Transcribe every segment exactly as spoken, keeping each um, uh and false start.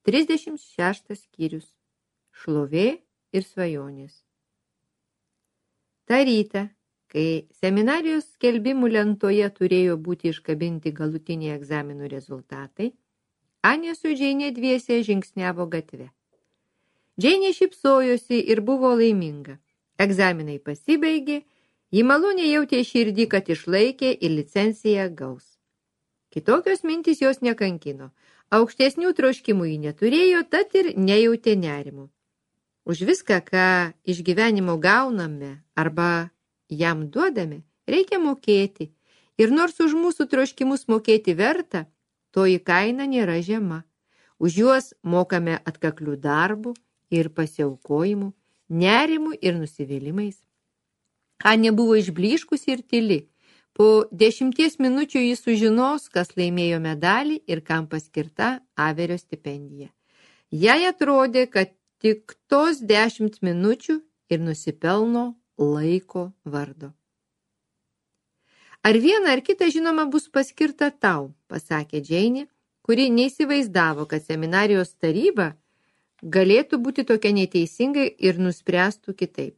trisdešimt šeštas skyrius. Šlovė ir svajonės. Ta rytą, kai seminarijos skelbimų lentoje turėjo būti iškabinti galutiniai egzaminų rezultatai, Anė su Džeinė dviese žingsniavo gatve. Džeinė šypsojosi ir buvo laiminga. Egzaminai pasibaigė, ji maloniai jautė širdį, kad išlaikė ir licenciją gaus. Kitokios mintys jos nekankino. Aukštesnių troškimų ji neturėjo, tad ir nejautė nerimų. Už viską, ką iš gyvenimo gauname arba jam duodame, reikia mokėti. Ir nors už mūsų troškimus mokėti verta, toji kaina nėra žema. Už juos mokame atkaklių darbų ir pasiaukojimų, nerimų ir nusivylimais. Anė buvo išblyškusi ir tyli. Po dešimties minučių jis sužinos, kas laimėjo medalį ir kam paskirta Averio stipendija. Jai atrodė, kad tik tos dešimt minučių ir nusipelno laiko vardo. Ar viena ar kita žinoma bus paskirta tau, pasakė Džeinė, kuri neįsivaizdavo, kad seminarijos taryba galėtų būti tokia neteisingai ir nuspręstų kitaip.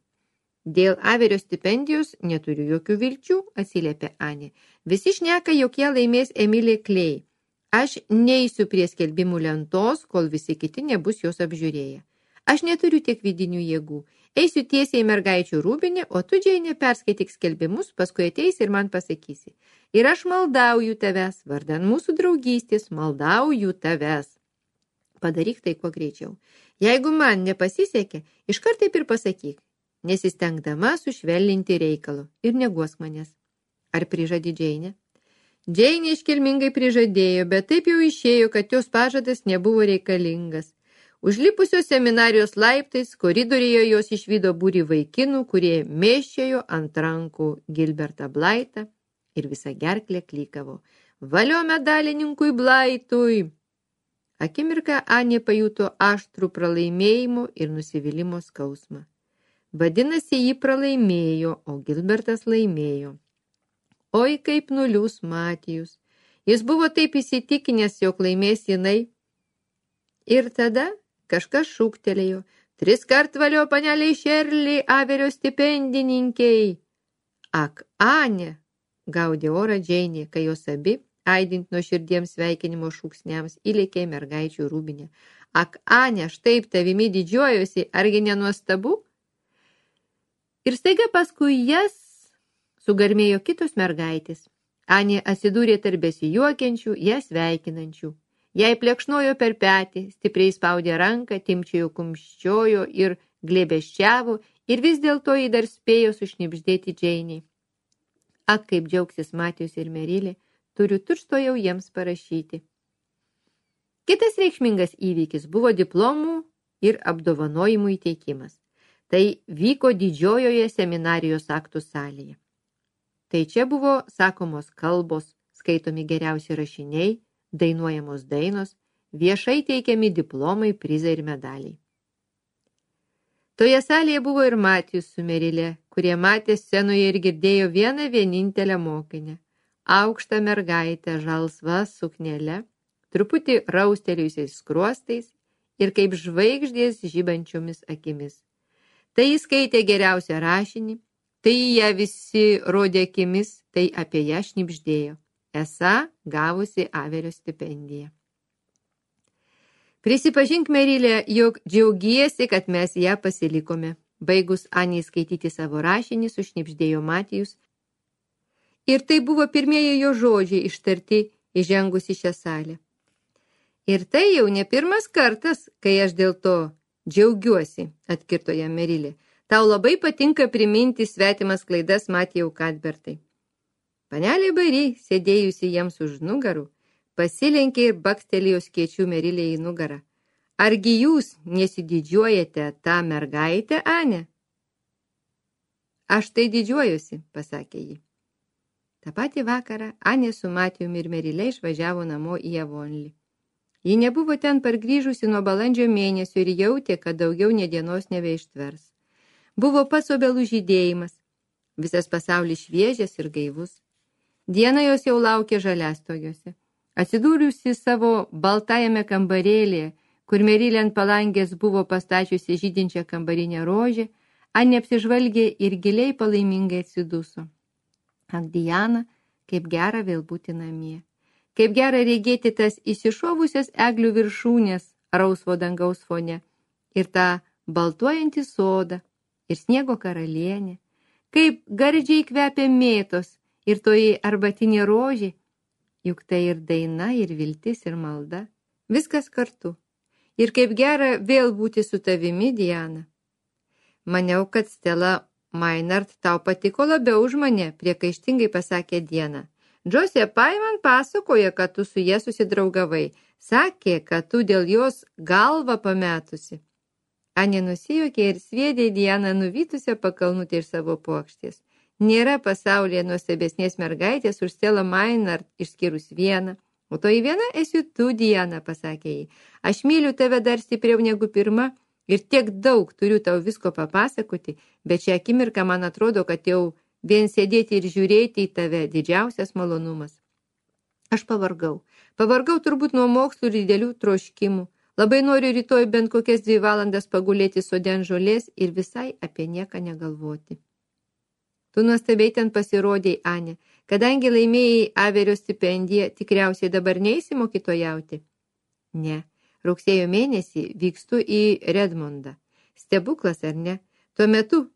Dėl Averio stipendijos neturiu jokių vilčių, atsiliepė Anė. Visi šneka, jog ją laimės Emilė Klei. Aš neisiu prie skelbimų lentos, kol visi kiti nebus jos apžiūrėję. Aš neturiu tiek vidinių jėgų. Eisiu tiesiai į mergaičių rūbinę, o tu, Džeinė, perskaityk skelbimus, paskui ateisi ir man pasakysi. Ir aš maldauju tavęs, vardan mūsų draugystės, maldauju tavęs. Padaryk tai kuo greičiau. Jeigu man nepasisekė, iškart taip ir pasakyk, nesistengdama sušvelninti reikalo ir neguosk manęs. Ar prižadi Džeinė? Džeinė iškilmingai prižadėjo, bet taip jau išėjo, kad jos pažadas nebuvo reikalingas. Užlipusios seminarijos laiptais, koridoriuje jos išvydo būrį vaikinų, kurie mėščiojo ant rankų Gilbertą Blaitą ir visą gerklę klykavo. Valio medalininkui Blaitui! Akimirką Anė pajuto aštrų pralaimėjimo ir nusivylimo skausmą. Vadinasi, jį pralaimėjo, o Gilbertas laimėjo. Oi, kaip nuliūs Matijus. Jis buvo taip įsitikinęs, jog laimės jinai. Ir tada kažkas šūktelėjo. Tris kart valio paneliai Šerli, Averio stipendininkiai. Ak, Anė, gaudė orą Džeinė, kai jos abi, aidint nuo širdiems sveikinimo šūksniams, įlėkė mergaičių rūbinę. Ak, Anė, aš taip tavimi didžiuojuosi, argi nenuostabu? Ir staiga paskui jas sugarmėjo kitos mergaitės. Anė atsidūrė tarp besijuokiančių, ją sveikinančių. Jai plekšnojo per petį, stipriai spaudė ranką, timčiojo kumščiojo ir glėbesčiavo, ir vis dėlto jį dar spėjo sušnibždėti Džeiniai. Ak, kaip džiaugsis Matijus ir Merilė, turiu tučtuojau jiems parašyti. Kitas reikšmingas įvykis buvo diplomų ir apdovanojimų įteikimas. Tai vyko didžiojoje seminarijos aktų salėje. Tai čia buvo sakomos kalbos, skaitomi geriausi rašiniai, dainuojamos dainos, viešai teikiami diplomai, prizai ir medaliai. Toje salėje buvo ir Matijus su Merilė, kurie matė scenoje ir girdėjo vieną vienintelę mokinę. Aukštą mergaitę žalsva suknele, truputį raustelėjusiais skruostais ir kaip žvaigždės žibančiomis akimis. Tai jis skaitė geriausią rašinį, tai ją visi rodė akimis, tai apie ją šnibždėjo. Esą gavusi Averio stipendiją. Prisipažink, Merilė, jog džiaugiesi, kad mes ją pasilikome. Baigus Anei skaityti savo rašinį, sušnibždėjo Matijus. Ir tai buvo pirmieji jo žodžiai ištarti įžengus į šią salę. Ir tai jau ne pirmas kartas, kai aš dėl to džiaugiuosi, atkirto jam Merilė. Tau labai patinka priminti svetimas klaidas, Matijau Kadbertai. Panelė Bari, sėdėjusi jiems už nugarų, pasilenkė ir bakstelėjo skėčių Merilė į nugarą. Argi jūs nesididžiuojate tą mergaitę, Anė? Aš tai didžiuojusi, pasakė ji. Ta patį vakarą Anė su Matijumi ir Merilė išvažiavo namo į Avonlį. Ji nebuvo ten pargrįžusi nuo balandžio mėnesio ir jautė, kad daugiau nė dienos nebeištvers. Buvo pats obelų žydėjimas, visas pasaulis šviežias ir gaivus. Diena jos jau laukė žaliastogiuose. Atsidūrusi savo baltajame kambarėlėje, kur Merilė ant palangės buvo pastačiusi žydinčią kambarinę rožę, Anė apsižvalgė ir giliai palaimingai atsiduso. Ak, Diana, kaip gera vėl būti namie. Kaip gera regėti tas įsišovusias eglių viršūnės rausvo dangaus fone ir tą baltuojantį sodą ir sniego karalienę. Kaip gardžiai kvepia mėtos ir toji arbatinė rožė, juk tai ir daina, ir viltis, ir malda. Viskas kartu. Ir kaip gera vėl būti su tavimi, Diana. Maniau, kad Stella Maynard tau patiko labiau už mane, priekaištingai pasakė Diana. Džosė Pai man pasakoja, kad tu su jie susidraugavai. Sakė, kad tu dėl jos galvą pametusi. Anė nusijuokė ir sviedė Dianą nuvytusią pakalnutę iš savo puokštės. Nėra pasaulyje nuostabesnės mergaitės už Stella Maynard išskyrus vieną. O toji viena esi tu, Diana, pasakė jai. Aš myliu tave dar stipriau negu pirma ir tiek daug turiu tau visko papasakoti, bet šią akimirką man atrodo, kad jau vien sėdėti ir žiūrėti į tave didžiausias malonumas. Aš pavargau. Pavargau turbūt nuo mokslų ir didelių troškimų. Labai noriu rytoj bent kokias dvi valandas pagulėti sode ant žolės ir visai apie nieką negalvoti. Tu nuostabiai ten pasirodėjai, Anė. Kadangi laimėjai Averio stipendiją, tikriausiai dabar neisi mokytojauti? Ne. Rugsėjo mėnesį vykstu į Redmondą. Stebuklas, ar ne? Tuo metu,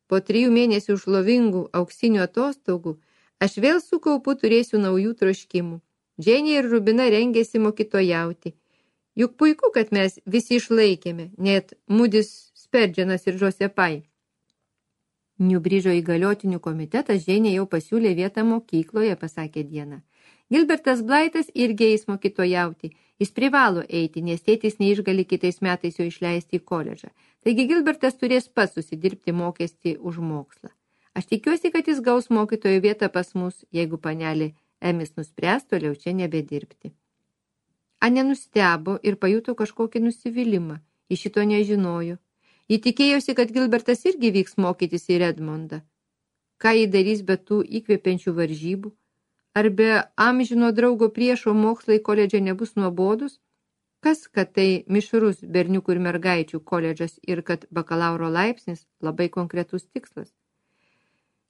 po trijų mėnesių šlovingų auksinių atostogų, aš vėl su kaupu turėsiu naujų troškimų. Dženė ir Rubina rengėsi mokytojauti. Juk puiku, kad mes visi išlaikėme, net Moody's Spurgeonas ir Joseph Pai. Niubridžo įgaliotinių komitetas Dženė jau pasiūlė vietą mokykloje, pasakė Diana. Gilbertas Blaitas irgi eis mokytojauti. Jis privalo eiti, nes tėtis neišgali kitais metais jo išleisti į koledžą. Taigi Gilbertas turės pats susidirbti mokestį už mokslą. Aš tikiuosi, kad jis gaus mokytojo vietą pas mus, jeigu panelė Emis nuspręs toliau čia nebedirbti. Anė nustebo ir pajuto kažkokį nusivylimą. Ji šito nežinojo. Ji tikėjosi, kad Gilbertas irgi vyks mokytis į Redmondą. Ką jį darys be tų įkvepiančių varžybų? Ar be amžino draugo priešo mokslai koledže nebus nuobodus? Kas, kad tai mišrus berniukų ir mergaičių koledžas ir kad bakalauro laipsnis labai konkretus tikslas?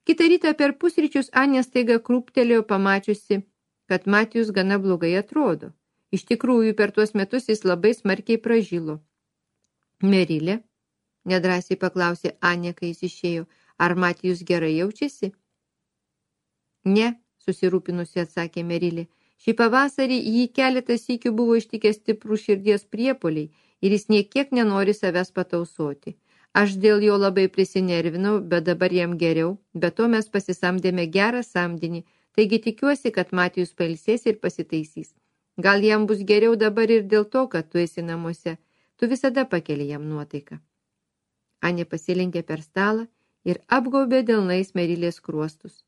Kitą rytą per pusryčius Anė staiga krūptelėjo pamačiusi, kad Matijus gana blogai atrodo. Iš tikrųjų, per tuos metus jis labai smarkiai pražilo. Merilė, nedrąsiai paklausė Anė, kai jis išėjo, ar Matijus gerai jaučiasi? Ne, susirūpinusi atsakė Merilė. Šį pavasarį jį keletą sykių buvo ištikęs stiprų širdies priepuoliai ir jis niekiek nenori savęs patausoti. Aš dėl jo labai prisinervinau, bet dabar jam geriau, bet to mes pasisamdėme gerą samdinį, taigi tikiuosi, kad Matijus pailsės ir pasitaisys. Gal jam bus geriau dabar ir dėl to, kad tu esi namuose. Tu visada pakeli jam nuotaiką. Anė pasilenkė per stalą ir apgaubė delnais Merilės skruostus.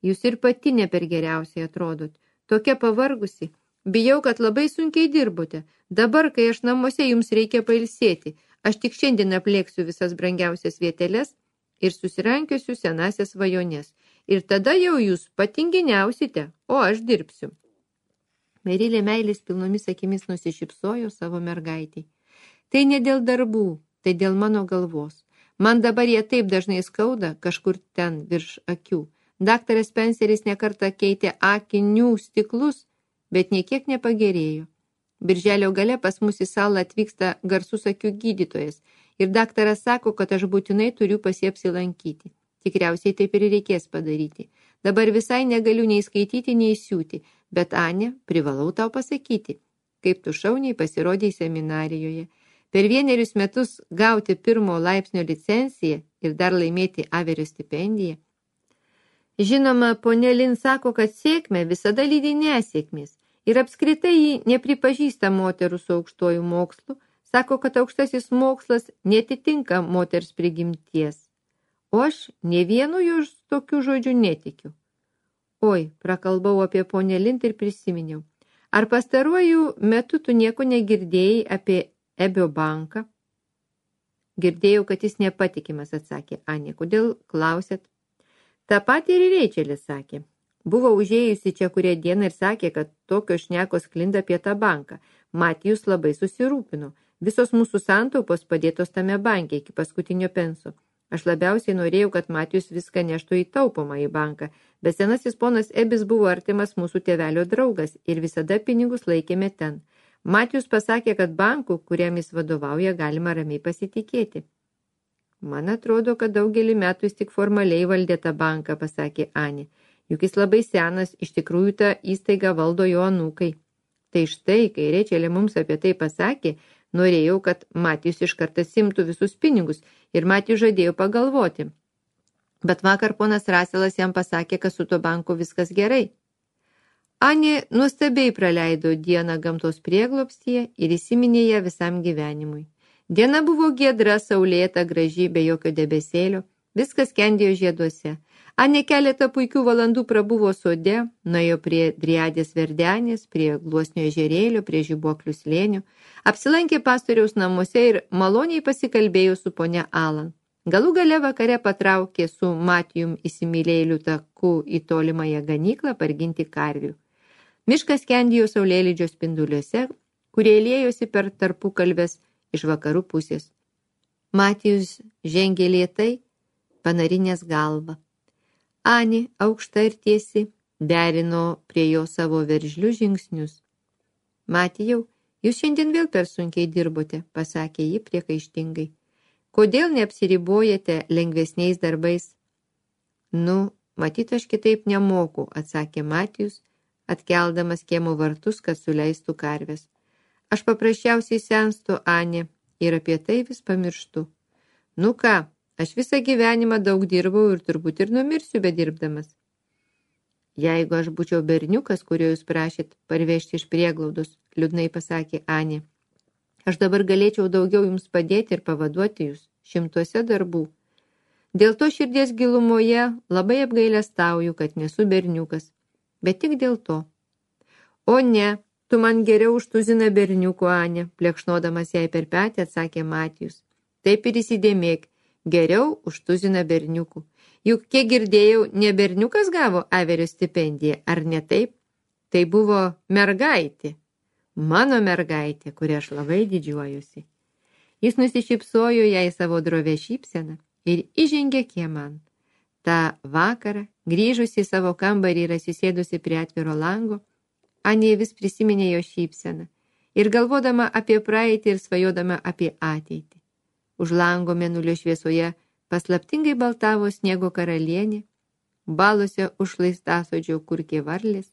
Jūs ir pati ne per geriausiai atrodot. Tokia pavargusi. Bijau, kad labai sunkiai dirbote. Dabar, kai aš namuose, jums reikia pailsėti. Aš tik šiandien aplėksiu visas brangiausias vieteles ir susirankiosiu senasias svajonės. Ir tada jau jūs patinginiausite, o aš dirbsiu. Merilė meilės pilnomis akimis nusišypsojo savo mergaitei. Tai ne dėl darbų, tai dėl mano galvos. Man dabar jie taip dažnai skauda, kažkur ten virš akių. Daktaras Spenceris nekartą keitė akinių stiklus, bet niekiek nepagerėjo. Birželio gale pas mus į salą atvyksta garsus akių gydytojas ir daktaras sako, kad aš būtinai turiu pas jį apsilankyti. Tikriausiai taip ir reikės padaryti. Dabar visai negaliu nei skaityti, nei siūti, bet Anė, privalau tau pasakyti, kaip tu šauniai pasirodei seminarijoje. Per vienerius metus gauti pirmo laipsnio licenciją ir dar laimėti Averio stipendiją. Žinoma, ponė Lin sako, kad sėkmė visada lydi nesėkmės. Ir apskritai jį nepripažįsta moterų su aukštuoju mokslu, sako, kad aukštasis mokslas netitinka moters prigimties. O aš ne vienu iš tokių žodžių netikiu. Oi, prakalbau apie ponę Lind ir prisiminiau. Ar pastaruoju metu tu nieko negirdėjai apie Ebio banką? Girdėjau, kad jis nepatikimas, atsakė Anė. Kodėl klausėt? Ta patį ir Reičelis sakė. Buvo užėjusi čia kurią dieną ir sakė, kad tokios šnekos sklinda apie tą banką. Matijus labai susirūpino. Visos mūsų santaupos padėtos tame banke iki paskutinio penso. Aš labiausiai norėjau, kad Matijus viską neštų į taupomą į banką, bet senasis ponas Ebis buvo artimas mūsų tėvelio draugas ir visada pinigus laikėme ten. Matijus pasakė, kad bankų, kuriam jis vadovauja, galima ramiai pasitikėti. Man atrodo, kad daugelį metų jis tik formaliai valdė tą banką, pasakė Anė. Juk jis labai senas, iš tikrųjų tą įstaigą valdo jo anūkai. Tai štai, kai Rečelė mums apie tai pasakė, norėjau, kad Matijus iš karto simtų visus pinigus ir Matijus žadėjo pagalvoti. Bet vakar ponas Raselas jam pasakė, kad su tuo banku viskas gerai. Anė nuostabiai praleido dieną gamtos prieglobstyje ir įsiminė ją visam gyvenimui. Diena buvo giedra, saulėta, graži, be jokio debesėlio, viskas skendėjo žieduose. Anė keletą puikių valandų prabuvo sode, nuėjo prie Driadės verdenės, prie Gluosnio ežerėlio, prie Žibuoklių slėnių, apsilankė pastoriaus namuose ir maloniai pasikalbėjo su ponia Alan. Galų gale vakare patraukė su Matijum įsimylėjėliu taku į tolimąją ganyklą parginti karvių. Miškas skendėjo saulėlydžio spinduliuose, kurie liejosi per tarpukalves iš vakarų pusės. Matijus žengė lėtai, panarinęs galvą. Anė, aukšta ir tiesi, derino prie jo savo veržlius žingsnius. Matijau, jūs šiandien vėl per sunkiai dirbote, pasakė ji priekaištingai. Kodėl neapsiribojate lengvesniais darbais? Nu, matyt, aš kitaip nemoku, atsakė Matijus, atkeldamas kiemo vartus, kad suleistų karves. Aš paprasčiausiai senstu, Anė, ir apie tai vis pamirštu. Nu ką, aš visą gyvenimą daug dirbau ir turbūt ir numirsiu bedirbdamas. Jeigu aš būčiau berniukas, kurio jūs prašėt parvežti iš prieglaudos, liūdnai pasakė Anė, aš dabar galėčiau daugiau jums padėti ir pavaduoti jūs šimtuose darbų. Dėl to širdies gilumoje labai apgailestauju, kad nesu berniukas, bet tik dėl to. O ne, tu man geriau už tuziną berniukų, Anė, plekšnodamas jai per petį, atsakė Matijus. Taip ir įsidėmėk, geriau už tuziną berniukų. Juk, kiek girdėjau, ne berniukas gavo Averio stipendiją, ar ne taip? Tai buvo mergaitė, mano mergaitė, kuria aš labai didžiuojusi. Jis nusišypsojo jai savo drovę šypseną ir įžengė kieman. Ta vakarą, grįžusi į savo kambarį ir atsisėdusi prie atviro lango, Anė vis prisiminė jo šypseną ir galvodama apie praeitį ir svajodama apie ateitį. Už lango mėnulio šviesoje paslaptingai baltavo sniego karalienė, balose užlaistasodžio kurkė varlės.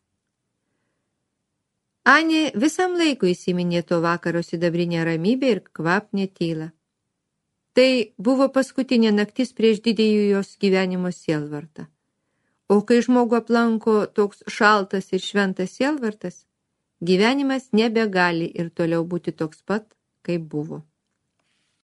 Anė visam laikui įsiminė to vakaro sidabrinę ramybę ir kvapnę tylą. Tai buvo paskutinė naktis prieš didįjį jos gyvenimo sielvartą. O kai žmogų aplanko toks šaltas ir šventas sielvartas, gyvenimas nebegali ir toliau būti toks pat, kaip buvo.